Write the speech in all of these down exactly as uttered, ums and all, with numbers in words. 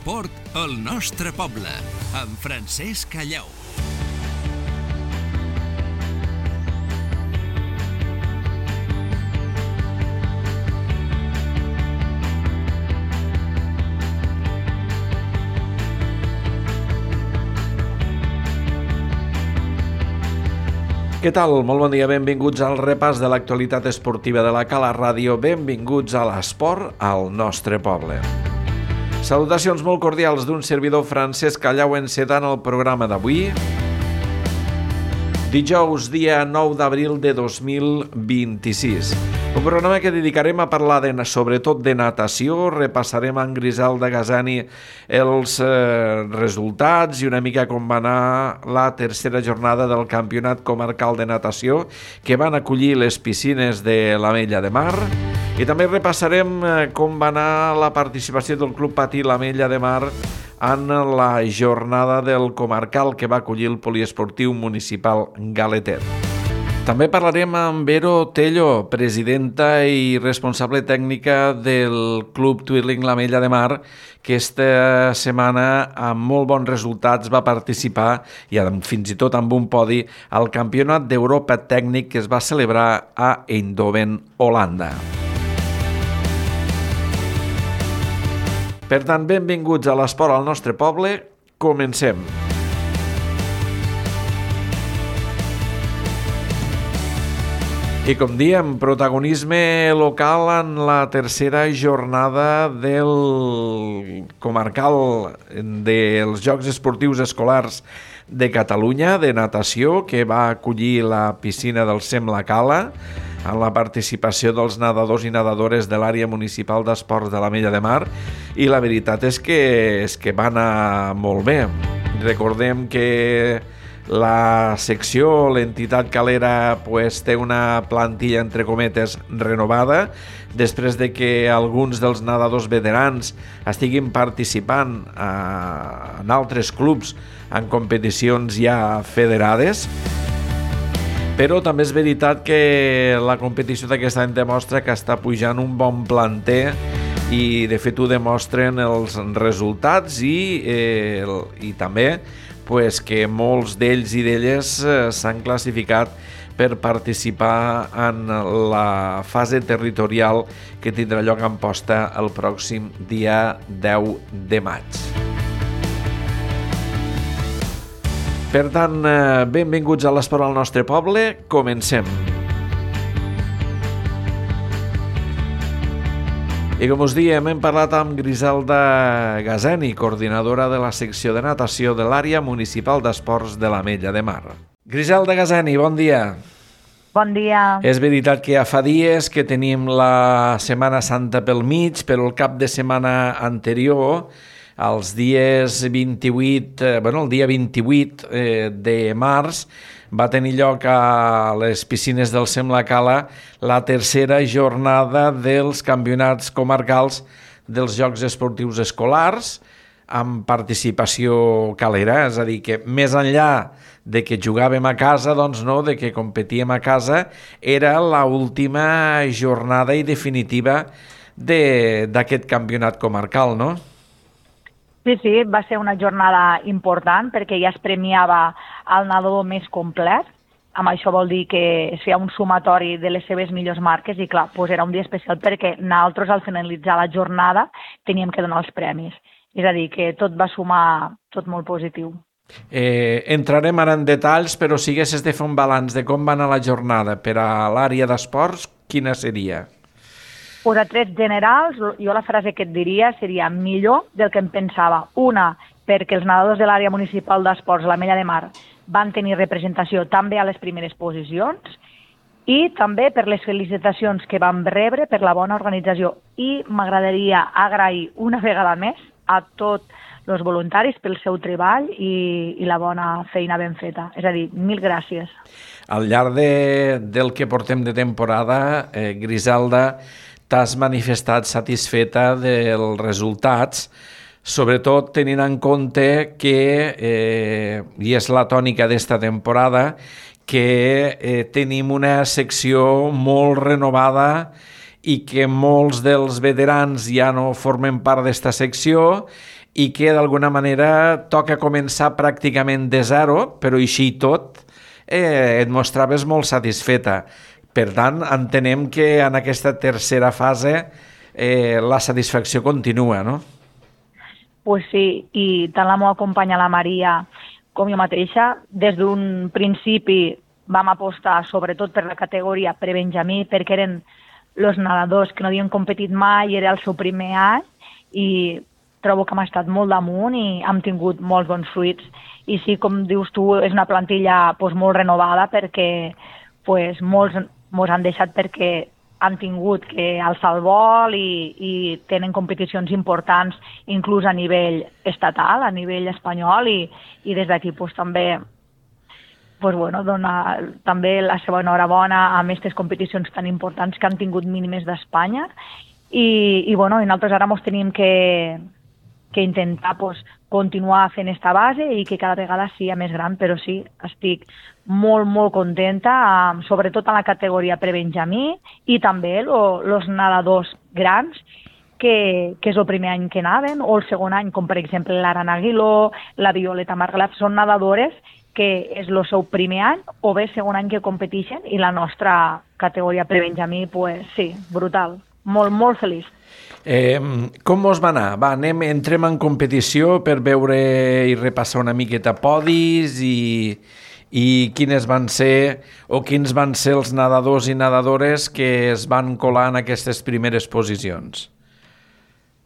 l'esport al nostre poble, amb Francesc Callau. Què tal? Molt bon dia, benvinguts al repàs de l'actualitat esportiva de la Cala Ràdio. Benvinguts a l'esport al nostre poble. Salutacions molt cordials d'un servidor Francesc Callau encetant el programa d'avui. Dijous, dia nou d'abril de dos mil vint-i-sis. Un programa que dedicarem a parlar de, sobretot de natació. Repassarem amb Griselda Gazani els eh, resultats i una mica com va anar la tercera jornada del Campionat Comarcal de Natació que van acollir les piscines de l'Ametlla de Mar. I també repassarem eh, com va anar la participació del Club Patí l'Ametlla de Mar en la jornada del Comarcal que va acollir el Poliesportiu Municipal Galetet. També parlarem amb Vero Tello, presidenta i responsable tècnica del Club Twirling l'Ametlla de Mar, que esta setmana amb molt bons resultats va participar i fins i tot amb un podi al Campionat d'Europa Tècnic que es va celebrar a Eindhoven, Holanda. Per tant, benvinguts a l'esport al nostre poble. Comencem. I com diem, protagonisme local en la tercera jornada del Comarcal dels Jocs Esportius Escolars de Catalunya, de natació, que va acollir la piscina del SEM La Cala, amb la participació dels nedadors i nedadores de l'àrea municipal d'esports de l'Ametlla de Mar, i la veritat és que, és que va anar molt bé. Recordem que la secció, l'entitat calera, pues, té una plantilla, entre cometes, renovada, després de que alguns dels nedadors veterans estiguin participant a, en altres clubs en competicions ja federades. Però també és veritat que la competició d'aquest any demostra que està pujant un bon planter i de fet ho demostren els resultats i, eh, i també pues, que molts d'ells i d'elles eh, s'han classificat per participar en la fase territorial que tindrà lloc a Amposta el pròxim dia deu de maig. Per tant, benvinguts a l'esport al nostre poble. Comencem. I com us diem, hem parlat amb Griselda Gazani, coordinadora de la secció de natació de l'àrea municipal d'esports de l'Ametlla de Mar. Griselda Gazani, bon dia. Bon dia. És veritat que ja fa dies que tenim la Setmana Santa pel mig, però el cap de setmana anterior, els dies vint-i-vuit, eh, bueno, el dia vint-i-vuit eh, de març va tenir lloc a les piscines del SEM La Cala la tercera jornada dels campionats comarcals dels Jocs Esportius Escolars amb participació calera, és a dir, que més enllà de que jugàvem a casa, doncs no, de que competíem a casa, era l'última jornada i definitiva de, d'aquest campionat comarcal, no? Sí, sí, va ser una jornada important perquè ja es premiava el nedador més complet. Amb això vol dir que es feia un sumatori de les seves millors marques i clar, doncs era un dia especial perquè nosaltres al finalitzar la jornada teníem que donar els premis. És a dir, que tot va sumar, tot molt positiu. Eh, entrarem ara en detalls, però si haguessis de fer un balanç de com va anar la jornada per a l'àrea d'esports, quina seria? Pues a trets generals, jo la frase que et diria seria millor del que em pensava. Una, perquè els nedadors de l'àrea municipal d'esports, l'Ametlla de Mar, van tenir representació també a les primeres posicions i també per les felicitacions que vam rebre per la bona organització. I m'agradaria agrair una vegada més a tots els voluntaris pel seu treball i, i la bona feina ben feta. És a dir, mil gràcies. Al llarg de, del que portem de temporada, eh, Griselda, t'has manifestat satisfeta dels resultats, sobretot tenint en compte que, eh, i és la tònica d'esta temporada, que eh, tenim una secció molt renovada i que molts dels veterans ja no formen part d'esta secció i que d'alguna manera toca començar pràcticament de zero, però així i tot eh, et mostraves molt satisfeta. Per tant, entenem que en aquesta tercera fase eh, la satisfacció continua, no? Pues sí, i tant la meva companya, la Maria, com jo mateixa, des d'un principi vam apostar sobretot per la categoria prebenjamí, perquè eren els nedadors que no havien competit mai, era el seu primer any, i trobo que hem estat molt damunt i hem tingut molts bons fruits. I sí, com dius tu, és una plantilla pues, molt renovada, perquè pues, molts ens han deixat perquè han tingut que alçar el vol i, i tenen competicions importants, inclús a nivell estatal, a nivell espanyol, i, i des d'aquí pues, també pues, bueno, dona també la seva enhorabona a aquestes competicions tan importants que han tingut mínimes d'Espanya. I, i, bueno, i nosaltres ara ens tenim que, que intentar pues, continuar fent aquesta base i que cada vegada sigui més gran, però sí, estic molt, molt contenta, sobretot en la categoria prebenjamí i també els nedadors grans, que, que és el primer any que naven, o el segon any, com per exemple l'Aran Aguiló, la Violeta Margalef, són nedadores que és el seu primer any o bé segon any que competeixen, i la nostra categoria prebenjamí, pues, sí, brutal, molt, molt feliç. Eh, com mos va anar? Va, anem, entrem en competició per veure i repassar una miqueta podis i, i quines van ser o quins van ser els nedadors i nedadores que es van colar en aquestes primeres posicions.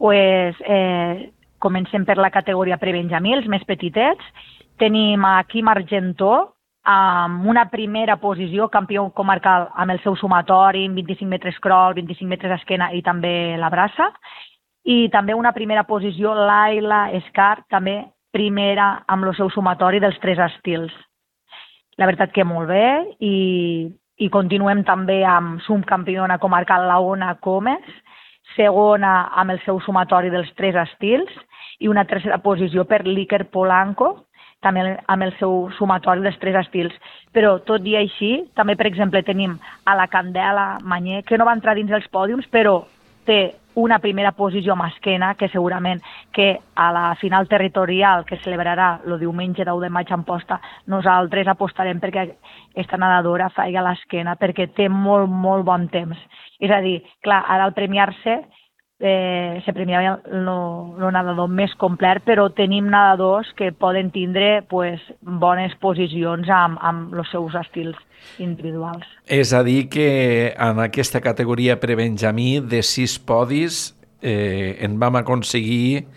Pues, eh, comencem per la categoria prebenjamí, els més petitets. Tenim a Quim Argentó, amb una primera posició, campió comarcal amb el seu sumatori, vint-i-cinc metres crawl, vint-i-cinc metres esquena i també la braça. I també una primera posició, Laila Escar, també primera amb el seu sumatori dels tres estils. La veritat que molt bé, i, i continuem també amb subcampiona comarcal Laona Comes, segona amb el seu sumatori dels tres estils, i una tercera posició per l'Iker Polanco, també amb el seu sumatori dels tres estils. Però tot i així, també, per exemple, tenim a la Candela Manyer, que no va entrar dins dels pòdiums, però té una primera posició amb esquena, que segurament que a la final territorial que celebrarà el diumenge deu de maig a Amposta, nosaltres apostarem perquè aquesta nedadora faci l'esquena, perquè té molt, molt bon temps. És a dir, clar, ara al premiar-se, Eh, se premiava el, el nedador més complet, però tenim nedadors que poden tindre pues, bones posicions amb, amb els seus estils individuals. És a dir que en aquesta categoria prebenjamí de sis podis eh, en vam aconseguir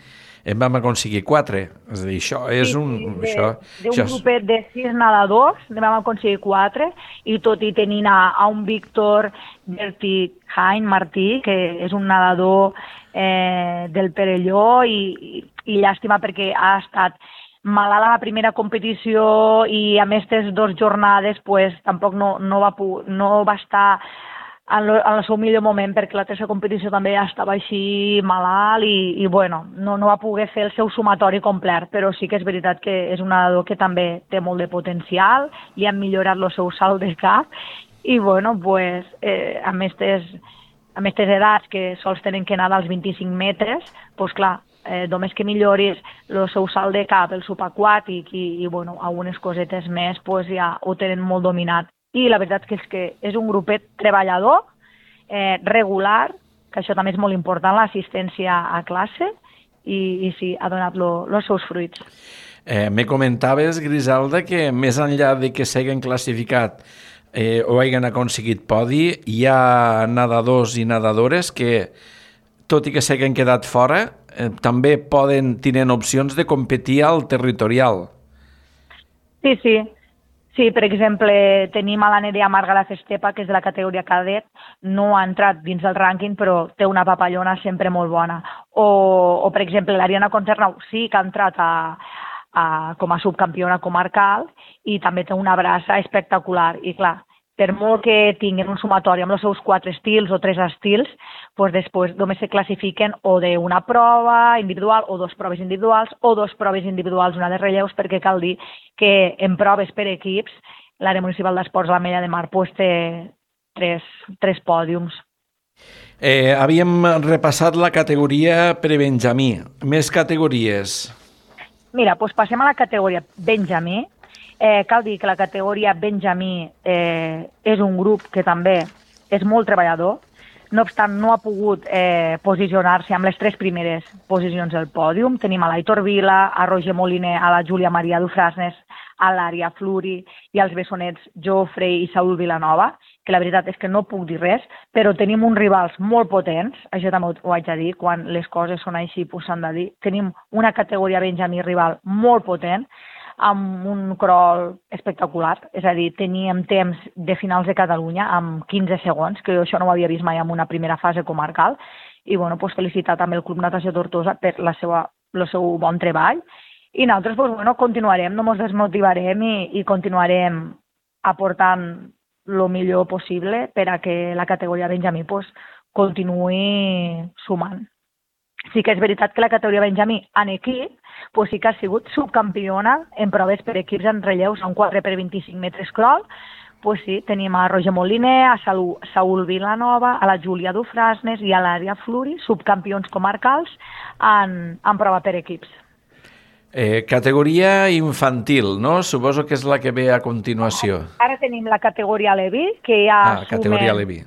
en vam aconseguir quatre. És a dir, això és sí, un... De, això, d'un això és... grupet de sis nedadors en vam aconseguir quatre, i tot i tenint a, a un Víctor Berti Hain Martí, que és un nedador eh, del Perelló, i, i, i llàstima perquè ha estat malalt a la primera competició i a aquestes dues jornades pues, tampoc no, no, va, no va estar en, lo, en el seu millor moment, perquè la tercera competició també estava així malalt i, i bueno, no, no va poder fer el seu sumatori complet, però sí que és veritat que és un nedador que també té molt de potencial, li han millorat el seu salt de cap, i bueno, pues, eh, amb aquestes amb aquestes edats que sols tenen que nedar als vint-i-cinc metres, doncs clar, eh, només que milloris el seu salt de cap, el subaquàtic i, i bueno, algunes cosetes més, pues ja ho tenen molt dominat. I la veritat que és que és un grupet treballador, eh, regular, que això també és molt important, l'assistència a classe, i, i sí, ha donat els seus fruits. Eh, me comentaves, Griselda, que més enllà de que s'hagin classificat eh, o hagin aconseguit podi, hi ha nedadors i nedadores que, tot i que s'hagin quedat fora, eh, també poden tenir opcions de competir al territorial. Sí, sí. Sí, per exemple, tenim a la Nerea Margalef Estepa, que és de la categoria cadet, no ha entrat dins del rànquing, però té una papallona sempre molt bona. O, o per exemple, l'Ariana Concernau sí que ha entrat a, a, com a subcampiona comarcal i també té una braça espectacular. I clar, per molt que tinguin un sumatori amb els seus quatre estils o tres estils, doncs després només se classifiquen o d'una prova individual o dos proves individuals o dos proves individuals, una de relleus, perquè cal dir que en proves per equips l'àrea municipal d'esports de l'Ametlla de Mar pues, té tres, tres pòdiums. Eh, havíem repassat la categoria prebenjamí. Més categories. Mira, doncs passem a la categoria benjamí. Eh, cal dir que la categoria benjamí eh, és un grup que també és molt treballador. No obstant, no ha pogut eh, posicionar-se amb les tres primeres posicions del pòdium. Tenim a l'Aitor Vila, a Roger Moliner, a la Júlia Maria Dufrasnes, a l'Ària Fluri i als bessonets Jofre i Saúl Vilanova, que la veritat és que no puc dir res, però tenim uns rivals molt potents, això també ho haig de dir, quan les coses són així pues s'han de dir. Tenim una categoria benjamí rival molt potent, amb un crawl espectacular, és a dir, teníem temps de finals de Catalunya amb quinze segons, que jo això no ho havia vist mai en una primera fase comarcal, i bueno, pues, felicitar també el Club Natació Tortosa per la seva, el seu bon treball, i nosaltres pues, bueno, continuarem, no ens desmotivarem i, i continuarem aportant el millor possible per a que la categoria benjamí pues, continuï sumant. Sí que és veritat que la categoria benjamí en equip pues sí que ha sigut subcampiona en proves per equips en relleus en quatre per vint-i-cinc metres crawl. Pues sí, tenim a Roger Moliner, a Saúl Vilanova, a la Júlia Dufrasnes i a l'Ària Fluri, subcampions comarcals en, en prova per equips. Eh, categoria infantil, no? Suposo que és la que ve a continuació. Ara tenim la categoria Levi, que ja ah, categoria Levi.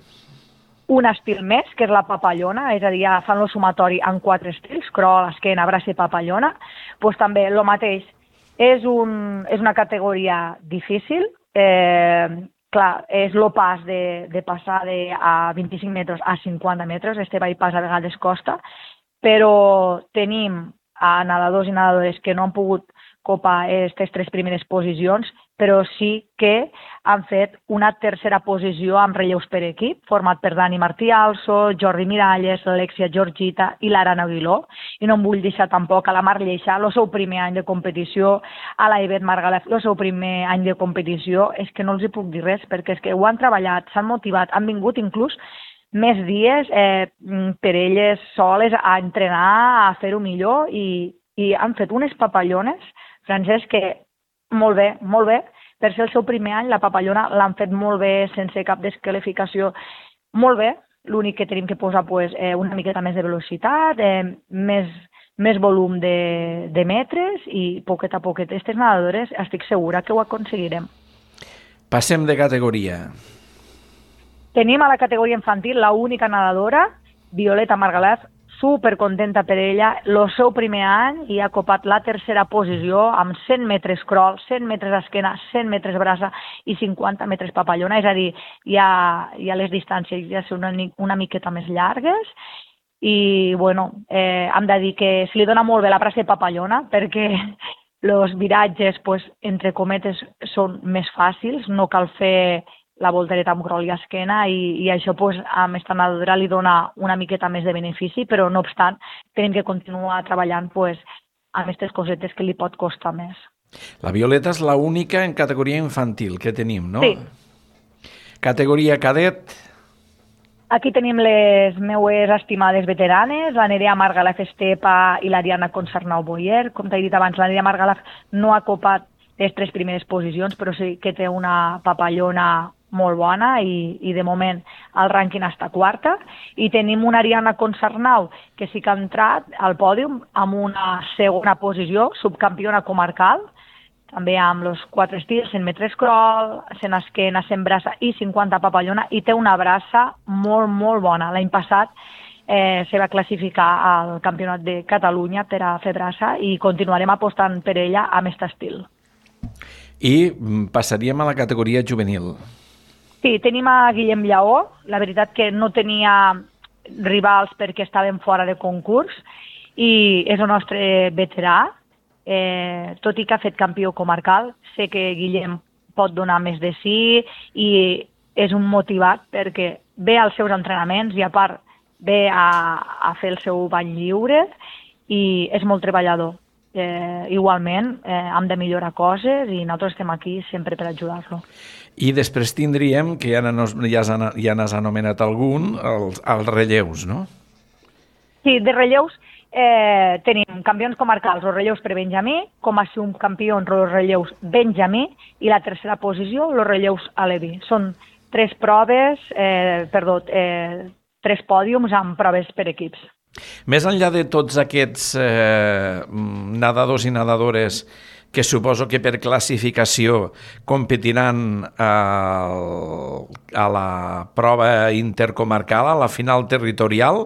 Un estil més, que és la papallona, és a dir, ja fan el sumatori en quatre estils, crawl, esquena, braç i papallona. Pues també el mateix, és, un, és una categoria difícil, eh, clar, és el pas de, de passar de a vint-i-cinc metres a cinquanta metres, este va i pas a vegades costa, però tenim a nedadors i nedadores que no han pogut copar aquestes tres primeres posicions, però sí que han fet una tercera posició amb relleus per equip, format per Dani Martí Also, Jordi Miralles, l'Alexia Georgita i l'Arana Aguiló. I no em vull deixar tampoc a la Mar Lleixa, el seu primer any de competició, a la Ivet Margalef, el seu primer any de competició. És que no els hi puc dir res, perquè és que ho han treballat, s'han motivat, han vingut inclús més dies eh, per elles soles a entrenar, a fer-ho millor i, i han fet unes papallones, Francesc, que molt bé, molt bé. Per ser el seu primer any, la papallona l'han fet molt bé, sense cap desqualificació. Molt bé, l'únic que tenim que posar pues, eh, una miqueta més de velocitat, eh, més, més volum de, de metres i poquet a poquet. Aquestes nedadores estic segura que ho aconseguirem. Passem de categoria. Tenim a la categoria infantil la única nedadora, Violeta Margalef, super contenta per ella, el seu primer any i ha copat la tercera posició amb cent metres crawl, cent metres esquena, cent metres braça i cinquanta metres papallona, és a dir, ja, ja les distàncies ja són una, una miqueta més llargues i, bueno, eh, hem de dir que se li dona molt bé la braça i papallona perquè els viratges, pues, entre cometes, són més fàcils, no cal fer la voltereta amb crawl i esquena i, i això pues, a aquesta nedadora li dona una miqueta més de benefici, però no obstant tenim que continuar treballant pues, amb aquestes cosetes que li pot costar més. La Violeta és l'única en categoria infantil que tenim, no? Sí. Categoria cadet? Aquí tenim les meues estimades veteranes, la Nerea Margalef Estepa i l'Ariana Concernau Boyer. Com t'he dit abans, la Nerea Margalef no ha copat les tres primeres posicions, però sí que té una papallona molt bona i, i de moment el rànquing està quarta. I tenim una Ariana Concernau que sí que ha entrat al pòdium amb una segona posició, subcampiona comarcal, també amb els quatre estils, cent metres crawl, cent esquena, cent braça i cinquanta papallona, i té una braça molt, molt bona. L'any passat eh, se va classificar al Campionat de Catalunya per a fer braça i continuarem apostant per ella amb aquest estil. I passaríem a la categoria juvenil. Sí, tenim a Guillem Lleó, la veritat que no tenia rivals perquè estaven fora de concurs i és el nostre veterà, eh, tot i que ha fet campió comarcal. Sé que Guillem pot donar més de sí i és un motivat perquè ve als seus entrenaments i a part ve a, a fer el seu bany lliure i és molt treballador. Eh, igualment eh, hem de millorar coses i nosaltres estem aquí sempre per ajudar-lo. I després tindríem, que ja n'has ja, ja n'has anomenat algun, els, els relleus, no? Sí, de relleus eh, tenim campions comarcals, els relleus per Benjamí, com a subcampions els relleus Benjamí i la tercera posició, els relleus Alevi. Són tres proves, eh, perdó, eh, tres pòdiums amb proves per equips. Més enllà de tots aquests eh, nedadors i nedadores que suposo que per classificació competiran a, a la prova intercomarcal, a la final territorial,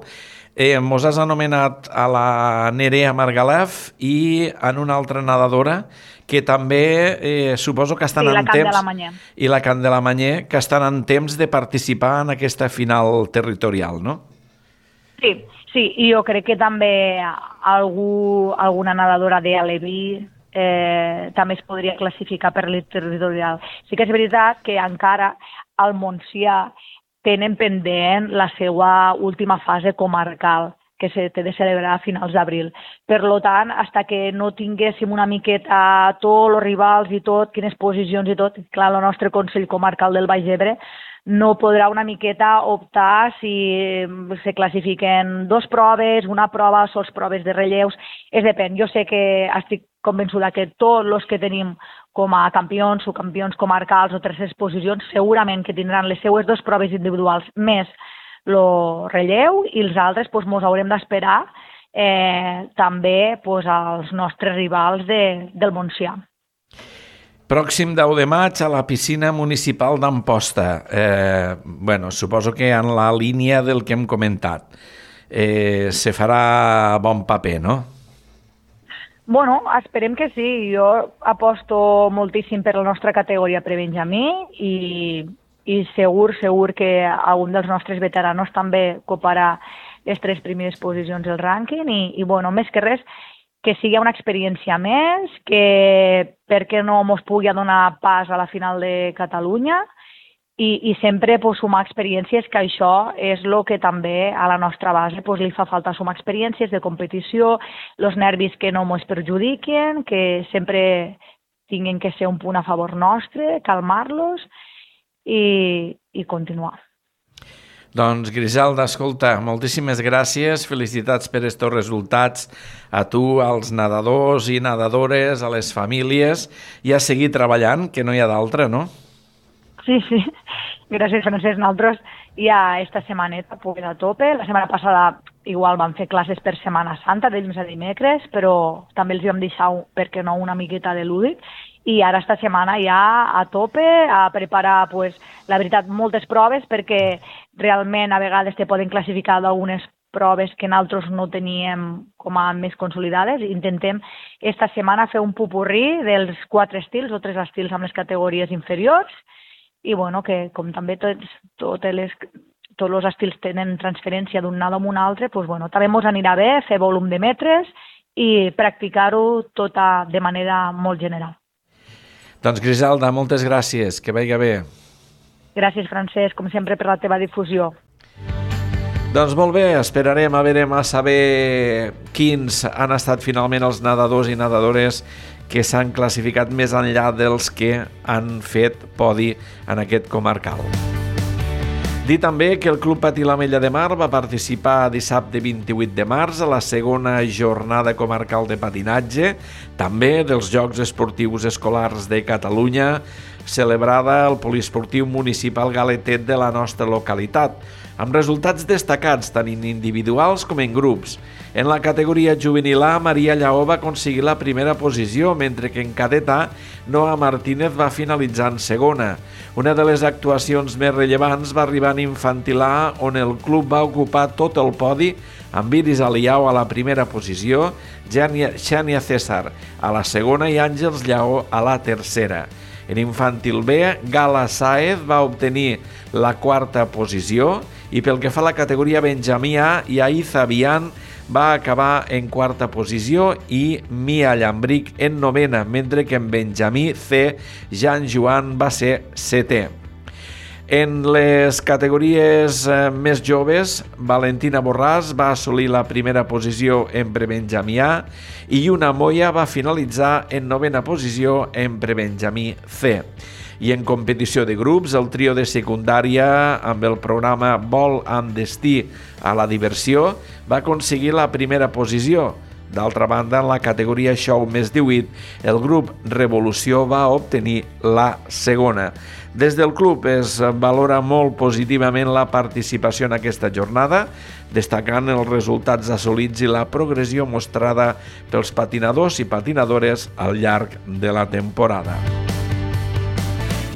eh, mos has anomenat a la Nerea Margalef i en una altra nedadora que també eh, suposo que estan sí, en temps... I la Candelamanyé, que estan en temps de participar en aquesta final territorial, no? Sí, sí, i jo crec que també algú, alguna nedadora de Aleví eh, també es podria classificar per l'Elite territorial. Sí que és veritat que encara al Montsià tenen pendent la seva última fase comarcal, que se té de celebrar a finals d'abril. Per tant, fins que no tinguéssim una miqueta tots els rivals i tot, quines posicions i tot, clar, el nostre Consell Comarcal del Baix Ebre no podrà una miqueta optar si se classifiquen dos proves, una prova, sols proves de relleus, és depèn. Jo sé que estic convençuda que tots els que tenim com a campions o campions comarcals o terceres posicions segurament que tindran les seues dues proves individuals més el relleu i els altres doncs, mos haurem d'esperar eh, també doncs, als nostres rivals de, del Montsià. Pròxim deu de maig a la piscina municipal d'Amposta. Eh, bueno, suposo que en la línia del que hem comentat. Eh, se farà bon paper, no? Bueno, esperem que sí. Jo aposto moltíssim per la nostra categoria prebenjamí i, i segur, segur que algun dels nostres veteranos també coparà les tres primeres posicions del rànquing i, i bueno, més que res, que sigui una experiència més, que perquè no mos pugui donar pas a la final de Catalunya i, i sempre pues, sumar experiències, que això és el que també a la nostra base pues, li fa falta, sumar experiències de competició, els nervis que no mos perjudiquen, que sempre tinguin que ser un punt a favor nostre, calmar-los i, i continuar. Doncs, Griselda, escolta, moltíssimes gràcies, felicitats per estos resultats a tu, als nedadors i nedadores, a les famílies, i a seguir treballant, que no hi ha d'altra, no? Sí, sí. Gràcies, Francesc. Nosaltres ja esta setmaneta pues, a tope. La setmana passada igual vam fer classes per Setmana Santa, de dilluns a dimecres, però també els vam deixar, per què no, una miqueta de lúdic. I ara esta setmana ja a tope, a preparar, pues, la veritat, moltes proves, perquè realment a vegades te poden classificar d'algunes proves que nosaltres no teníem com a més consolidades. Intentem esta setmana fer un pupurrí dels quatre estils o tres estils amb les categories inferiors i bueno, que com també tots, totes les, tots els estils tenen transferència d'un nado a un altre, pues, bueno, també ens anirà bé fer volum de metres i practicar-ho tota de manera molt general. Doncs, Griselda, moltes gràcies. Que vagi bé. Gràcies, Francesc, com sempre, per la teva difusió. Doncs molt bé, esperarem a veure a saber quins han estat finalment els nedadors i nedadores que s'han classificat més enllà dels que han fet podi en aquest comarcal. Dir també que el Club Patí l'Ametlla de Mar va participar dissabte vint-i-vuit de març a la segona jornada comarcal de patinatge, també dels Jocs Esportius Escolars de Catalunya, celebrada al Poliesportiu Municipal Galetet de la nostra localitat, amb resultats destacats tant en individuals com en grups. En la categoria juvenil A, Maria Lleó va aconseguir la primera posició, mentre que en cadet A, Noa Martínez va finalitzar en segona. Una de les actuacions més rellevants va arribar en infantil A, on el club va ocupar tot el podi, amb Iris Aliao a la primera posició, Xènia César a la segona i Àngels Lleó a la tercera. En infantil B, Gala Sáez va obtenir la quarta posició i pel que fa a la categoria Benjamí A, Yaiza Bian va acabar en quarta posició i Mia Llambric en novena, mentre que en Benjamí C, Jan Joan va ser setè. En les categories eh, més joves, Valentina Borràs va assolir la primera posició en prebenjamí A i Una Moya va finalitzar en novena posició en prebenjamí C. I en competició de grups, el trio de secundària amb el programa Vol amb destí a la diversió va aconseguir la primera posició. D'altra banda, en la categoria Show més divuit, el grup Revolució va obtenir la segona. Des del club es valora molt positivament la participació en aquesta jornada, destacant els resultats assolits i la progressió mostrada pels patinadors i patinadores al llarg de la temporada.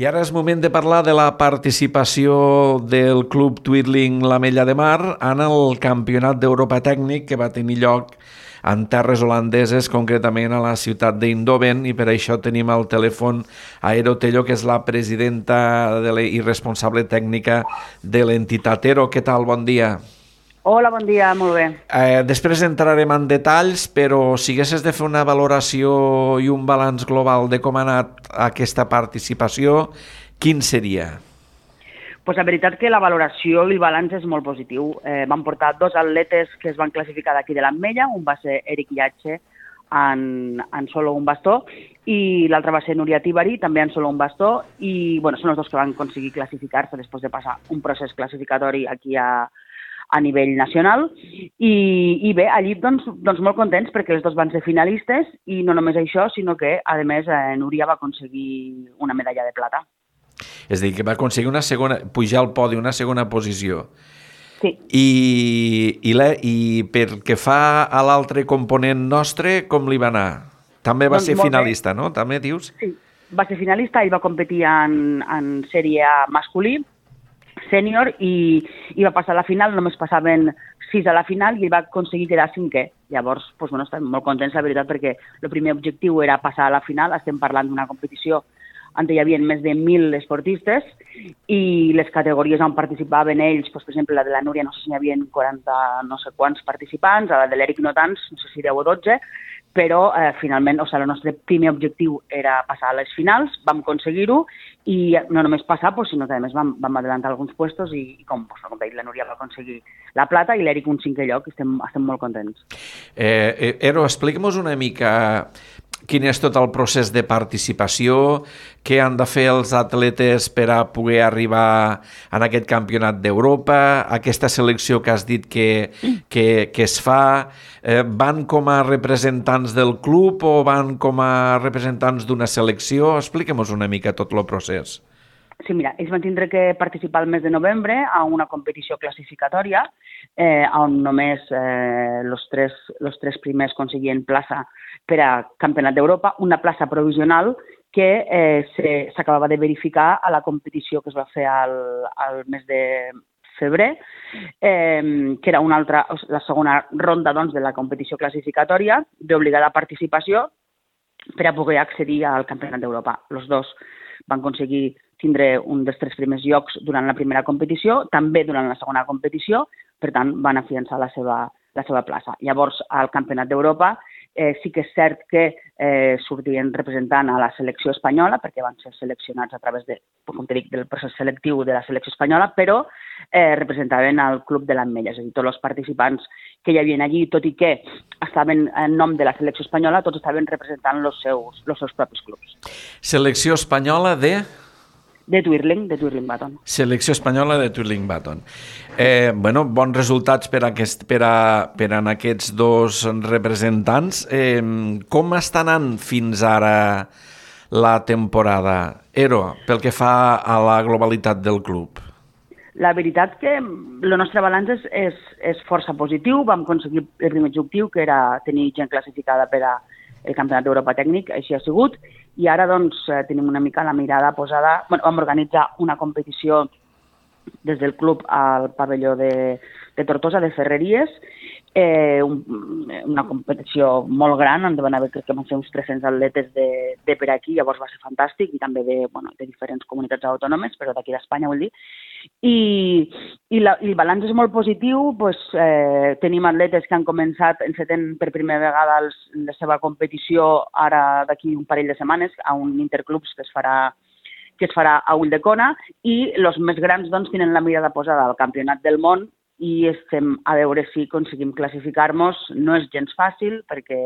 I ara és moment de parlar de la participació del Club Twirling l'Ametlla de Mar en el Campionat d'Europa Tècnic que va tenir lloc en terres holandeses, concretament a la ciutat d'Eindhoven, i per això tenim al telèfon a Ero Tello, que és la presidenta de la, i responsable tècnica de l'entitat. Ero, què tal? Bon dia. Hola, bon dia, molt bé. Eh, després entrarem en detalls, però si haguessis de fer una valoració i un balanç global de com ha anat aquesta participació, quin seria? Pues la veritat que la valoració i el balanç és molt positiu. Eh, van portar dos atletes que es van classificar d'aquí de l'Ametlla, un va ser Eric Iatxe en, en solo un bastó i l'altre va ser Núria Tibari, també en solo un bastó, i bueno, són els dos que van aconseguir classificar-se després de passar un procés classificatori aquí a a nivell nacional, i, i bé, allí doncs, doncs molt contents perquè els dos van ser finalistes, i no només això, sinó que, a més, eh, Núria va aconseguir una medalla de plata. És a dir, que va aconseguir una segona, pujar al podi, una segona posició. Sí. I, i, la, i pel que fa a l'altre component nostre, com li va anar? També va doncs ser finalista, bé. No? També dius? Sí, va ser finalista, ell va competir en, en sèrie A masculí, sènior, i, i va passar a la final, només passaven sis a la final i ell va aconseguir quedar cinquè. Llavors, doncs, bueno, estem molt contents, la veritat, perquè el primer objectiu era passar a la final. Estem parlant d'una competició on hi havia més de mil esportistes i les categories on participaven ells, doncs, per exemple, la de la Núria, no sé si n'hi havia quaranta no sé quants participants, a la de l'Eric no tants, no sé si deu o dotze, però eh, finalment, o sigui, el nostre primer objectiu era passar a les finals, vam aconseguir-ho, i no només passar, doncs, sinó que a més vam, vam adelantar alguns puestos i, i com, doncs, com veig, la Núria va aconseguir la plata i l'Eric un cinquè lloc, i estem, estem molt contents. Eh, Ero, explica'm una mica quin és tot el procés de participació, què han de fer els atletes per a poder arribar en aquest campionat d'Europa, aquesta selecció que has dit que, que, que es fa, eh, van com a representants del club o van com a representants d'una selecció? Expliquem-nos una mica tot el procés. Sí, mira, ells van tindre que participar el mes de novembre a una competició classificatòria eh, on només eh, los tres, los tres primers aconseguien plaça per a Campionat d'Europa, una plaça provisional que eh, s'acabava de verificar a la competició que es va fer al, al mes de febrer, eh, que era una altra, la segona ronda doncs, de la competició classificatòria d'obligada participació per a poder accedir al Campionat d'Europa. Els dos van aconseguir tindre un dels tres primers llocs durant la primera competició, també durant la segona competició, per tant, van afiançar la seva, la seva plaça. Llavors, al Campionat d'Europa eh, sí que és cert que eh, sortien representant a la selecció espanyola, perquè van ser seleccionats a través de, com te dic, del procés selectiu de la selecció espanyola, però eh, representaven el Club de l'Ametlla, és a dir, tots els participants que hi havia allí, tot i que estaven en nom de la selecció espanyola, tots estaven representant els seus, els seus propis clubs. Selecció espanyola de... De Twirling, de Twirling Baton. Selecció espanyola de Twirling Baton. Eh, bueno, bons resultats per, aquest, per, a, per a aquests dos representants. Eh, com està anant fins ara la temporada? Ero, pel que fa a la globalitat del club. La veritat que el nostre balanç és, és, és força positiu. Vam aconseguir el primer objectiu, que era tenir gent classificada per a el Campionat d'Europa Tècnic, així ha sigut, i ara doncs tenim una mica la mirada posada. Bueno, vam organitzar una competició des del club al pavelló de, de Tortosa, de Ferreries, eh, un, una competició molt gran, on van haver, crec que van ser uns tres-cents atletes de, de per aquí, llavors va ser fantàstic, i també de, bueno, de diferents comunitats autònomes, però d'aquí d'Espanya, vull dir. I, i, la, i el balanç és molt positiu, pues, eh, tenim atletes que han començat enceten per primera vegada els, la seva competició ara d'aquí un parell de setmanes a un interclubs que es farà que es farà a Ulldecona, i els més grans doncs, tenen la mirada posada al Campionat del Món i estem a veure si aconseguim classificar-nos. No és gens fàcil perquè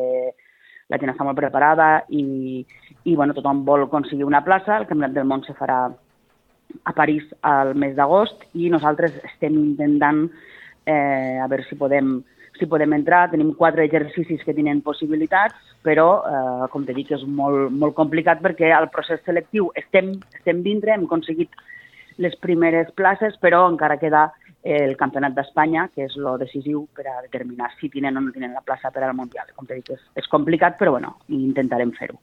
la gent està molt preparada i, i bueno, tothom vol aconseguir una plaça. El Campionat del Món se farà a París al mes d'agost i nosaltres estem intentant eh, a veure si podem si podem entrar. Tenim quatre exercicis que tenen possibilitats, però, eh, com t'he dit, és molt, molt complicat perquè al procés selectiu estem, estem dintre, hem aconseguit les primeres places, però encara queda el Campionat d'Espanya, que és lo decisiu per a determinar si tenen o no tenen la plaça per al Mundial. Com t'he dit, és, és complicat, però bueno, intentarem fer-ho.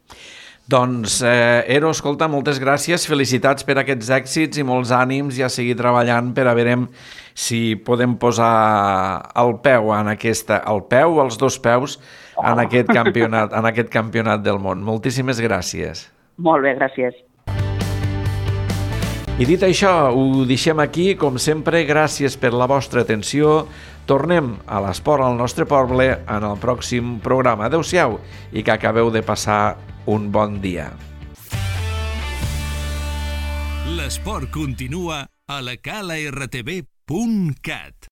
Doncs, eh, Ero, escolta, moltes gràcies, felicitats per aquests èxits i molts ànims i a seguir treballant per a veure si podem posar el peu en aquesta, el peu o els dos peus en aquest campionat, en aquest campionat del món. Moltíssimes gràcies. Molt bé, gràcies. I dit això, ho deixem aquí. Com sempre, gràcies per la vostra atenció. Tornem a l'esport al nostre poble en el pròxim programa. Adéu-siau i que acabeu de passar un bon dia. L'esport continua a la cala r t v punt cat.